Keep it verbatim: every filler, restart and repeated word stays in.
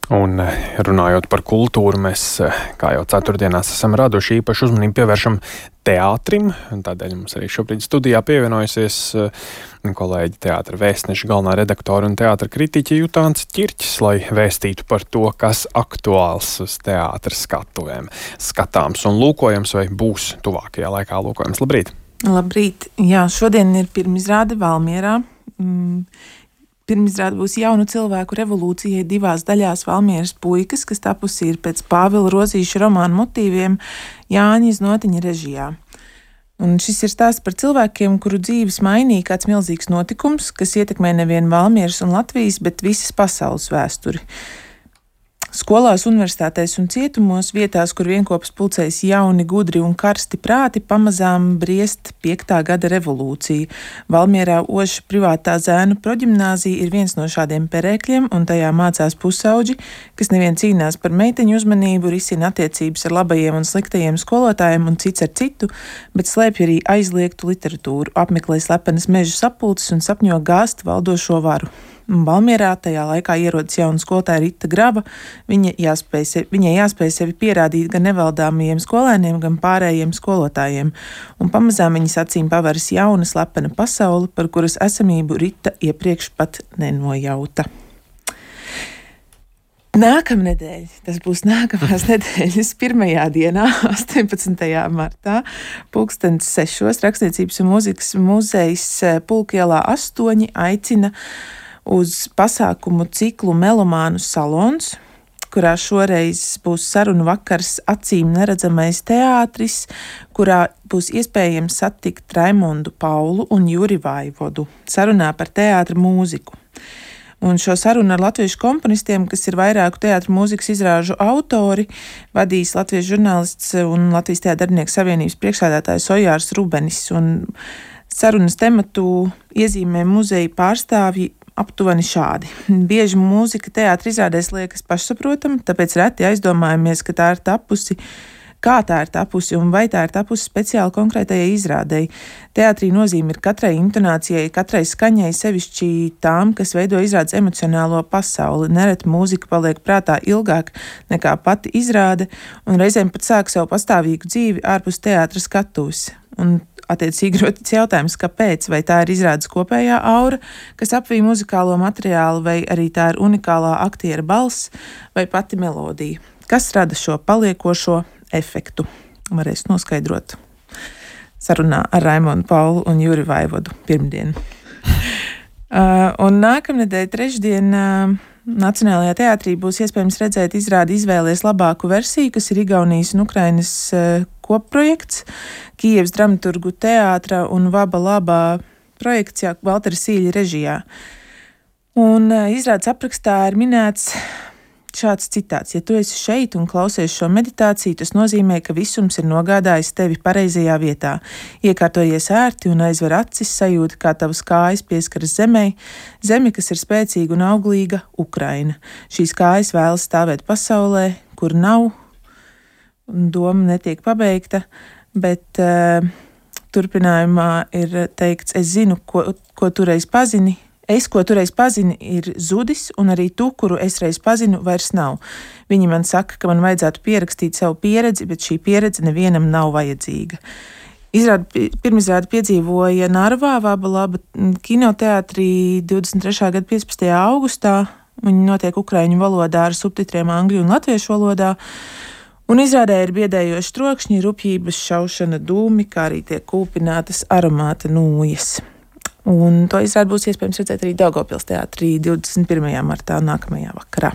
Un runājot par kultūru, mēs, kā jau ceturtdienās, esam raduši īpašu uzmanību pievēršam teātrim. Tādēļ mums arī šobrīd studijā pievienojusies kolēģi teātra vēstneša galvenā redaktora un teātra kritiķe Jutāns Ķirķis, lai vēstītu par to, kas aktuāls uz teātra skatuvēm skatāms un lūkojams vai būs tuvākajā laikā lūkojams. Labrīt! Labrīt! Jā, šodien ir pirmizrāde Valmierā. Mm. Pirmizrāde būs jaunu cilvēku revolūcijai divās daļās Valmieras puikas, kas tapusi ir pēc Pāvila Rozīša romāna motīviem Jāņa Znotiņa režijā. Un šis ir stāsts par cilvēkiem, kuru dzīves mainīja kāds milzīgs notikums, kas ietekmē nevien Valmieras un Latvijas, bet visas pasaules vēsturi. Skolās, universitātēs un cietumos, vietās, kur vienkopas pulcējas jauni, gudri un karsti prāti, pamazām briest piektā gada revolūcija. Valmierā Oša privātā zēnu proģimnāzija ir viens no šādiem perēkļiem, un tajā mācās pusauģi, kas nevien cīnās par meiteņu uzmanību, risina attiecības ar labajiem un sliktajiem skolotājiem un cits ar citu, bet slēpj arī aizliegtu literatūru, apmeklē slepenas meža sapulces un sapņo gāzt valdošo varu. Valmierā tajā laikā ierodas jauna skolotāja Rita Graba. Viņa jāspēj sevi, viņai jāspēj sevi pierādīt gan nevaldāmajiem skolēniem, gan pārējiem skolotājiem. Un pamazām viņas acīm paveras jauna slepena pasaule, par kuras esamību Rita iepriekš pat nenojauta. Nākamnedēļ, tas būs nākamās nedēļas pirmajā dienā, astoņpadsmitajā martā, pulkstens sešos, Rakstniecības un mūzikas muzejs Pulkielā astoņi aicina uz pasākumu ciklu Melomānu salons, kurā šoreiz būs sarunu vakars Acīm neredzamais teātris, kurā būs iespējams satikt Raimondu Paulu un Juri Vaivodu sarunā par teātra mūziku. Un šo sarunu ar latviešu komponistiem, kas ir vairāku teātra mūzikas izrāžu autori, vadīs latviešu žurnālists un Latvijas Teātra darbinieku savienības priekšsēdētājs Ojārs Rubenis. Un sarunas tematu iezīmē muzeja pārstāvji aptuveni šādi. Bieži mūzika teātra izrādēs liekas pašsaprotama, tāpēc reti aizdomājamies, ka tā ir tapusi, kā tā ir tapusi un vai tā ir tapusi speciāli konkrētajai izrādei. Teātrī nozīme ir katrai intonācijai, katrai skaņai, sevišķi tām, kas veido izrādes emocionālo pasauli. Nereti mūzika paliek prātā ilgāk nekā pati izrāde un reizēm pat sāk savu pastāvīgu dzīvi ārpus teātra skatuves. Un attiecīgi rodas jautājums, kāpēc, vai tā ir izrādes kopējā aura, kas apvij muzikālo materiālu, vai arī tā ir unikālā aktiera balss vai pati melodija. Kas rada šo paliekošo efektu? Varēs noskaidrot sarunā ar Raimondu Paulu un Juri Vaivodu pirmdien. uh, un nākamnedēļ trešdien uh, Nacionālajā teātrī būs iespējams redzēt izrādi Izvēlies labāku versiju, kas ir Igaunijas un Ukrainas uh, kopprojekts, Kijevas dramaturgu teātra un Vaba Labā projekts Valtera Sīļa režijā. Un uh, izrādes aprakstā ir minēts šāds citāts: ja tu esi šeit un klausies šo meditāciju, tas nozīmē, ka visums ir nogādājis tevi pareizajā vietā. Iekārtojies ērti un aizver acis, sajūti, kā tavas kājas pieskaras zemei, zemi, kas ir spēcīga un auglīga, Ukraina. Šīs kājas vēlas stāvēt pasaulē, kur nav, un doma netiek pabeigta, bet uh, turpinājumā ir teikts: es zinu, ko, ko tu reiz pazini, Es, ko tu reiz pazini, ir zudis, un arī tu, kuru es reiz pazinu, vairs nav. Viņi man saka, ka man vajadzētu pierakstīt savu pieredzi, bet šī pieredze nevienam nav vajadzīga. Izrādi, pirmizrādi piedzīvoja Narvā, Vaba Laba kinoteātrī divdesmit trešā gada piecpadsmitajā augustā. Viņi notiek ukraiņu valodā ar subtitriem angļu un latviešu valodā. Un izrādē ir biedējoši trokšņi, rupjības, šaušana, dūmi, kā arī tiek kūpinātas aromāta nūjas. Un to izrādi būs iespējams redzēt arī Daugavpils teātrī divdesmit pirmajā martā nākamajā vakarā.